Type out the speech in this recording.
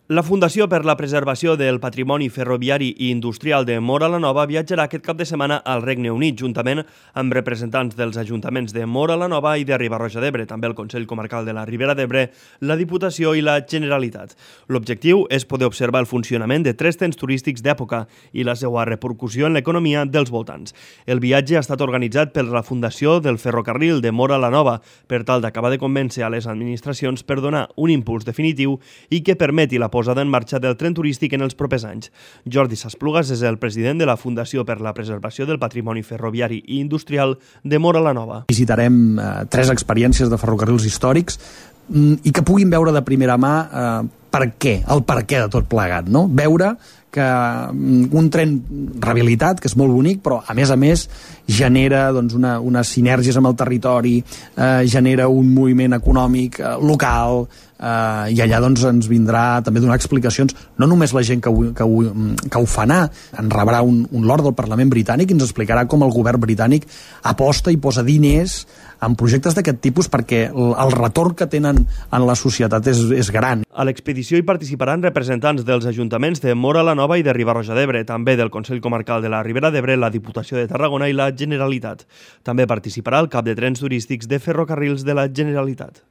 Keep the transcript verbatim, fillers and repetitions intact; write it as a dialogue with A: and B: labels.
A: La Fundació per la Preservació del Patrimoni Ferroviari i Industrial de Móra la Nova viatjarà aquest cap de setmana al Regne Unit, juntament amb representants dels ajuntaments de Móra la Nova i de Riba-roja d'Ebre, també el Consell Comarcal de la Ribera d'Ebre, la Diputació i la Generalitat. L'objectiu és poder observar el funcionament de tres trens turístics d'època i la seva repercussió en l'economia dels voltants. El viatge ha estat organitzat per la Fundació del Ferrocarril de Móra la Nova per tal d'acabar de convèncer a les administracions per donar un impuls definitiu i que permeti la posada en marxa del tren turístic en els propers anys. Jordi Sasplugas és el president de la Fundació per la Preservació del Patrimoni Ferroviari i Industrial de Móra la Nova.
B: Visitarem eh, tres experiències de ferrocarrils històrics mm, i que puguin veure de primera mà eh, per què, el per què de tot plegat, no? Veure que un tren rehabilitat, que és molt bonic, però a més a més genera doncs, una, unes sinergies amb el territori, eh, genera un moviment econòmic eh, local, eh, i allà doncs, ens vindrà també donar explicacions, no només la gent que ho, que ho, que ho fa anar, en rebrà un, un lord del Parlament britànic i ens explicarà com el govern britànic aposta i posa diners en projectes d'aquest tipus perquè el, el retorn que tenen en la societat és, és gran.
A: A l'expedició hi participaran representants dels ajuntaments de Móra la Nova i de Riba-roja d'Ebre, també del Consell Comarcal de la Ribera d'Ebre, la Diputació de Tarragona i la Generalitat. També participarà el cap de trens turístics de ferrocarrils de la Generalitat.